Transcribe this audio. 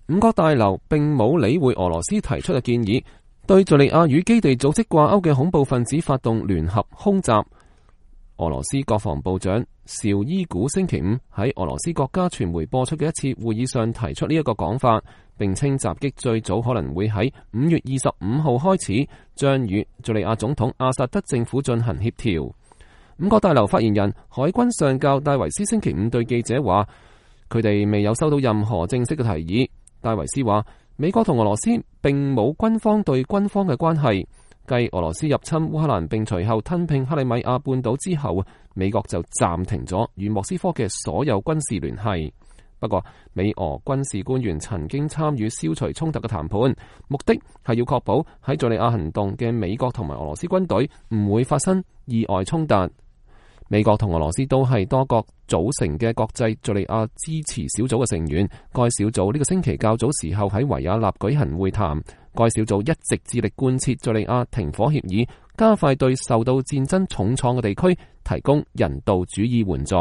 五角大樓並冇理會俄羅斯提出嘅建議，對敘利亞與基地組織掛鈎嘅恐怖分子發動聯合空襲。俄羅斯國防部長紹伊古星期五喺俄羅斯國家傳媒播出嘅一次會議上提出呢一個講法，並稱襲擊最早可能會喺5月25號開始，將與敘利亞總統阿薩德政府進行協調。五角大樓發言人海軍上校戴維斯星期五對記者話，佢哋未有收到任何正式嘅提議。戴維斯話，美國同俄羅斯並冇軍方對軍方嘅關係。繼俄羅斯入侵烏克蘭並隨後吞併克里米亞半島之後，美國就暫停咗與莫斯科嘅所有軍事聯繫。不過，美俄軍事官員曾經參與消除衝突嘅談判，目的係要確保喺敘利亞行動嘅美國同埋俄羅斯軍隊唔會發生意外衝突。美國同俄羅斯都係多國組成嘅國際敘利亞支持小組嘅成員。該小組呢個星期較早時候喺維也納舉行會談。該小組一直致力貫徹敘利亞停火協議，加快對受到戰爭重創嘅地區提供人道主義援助。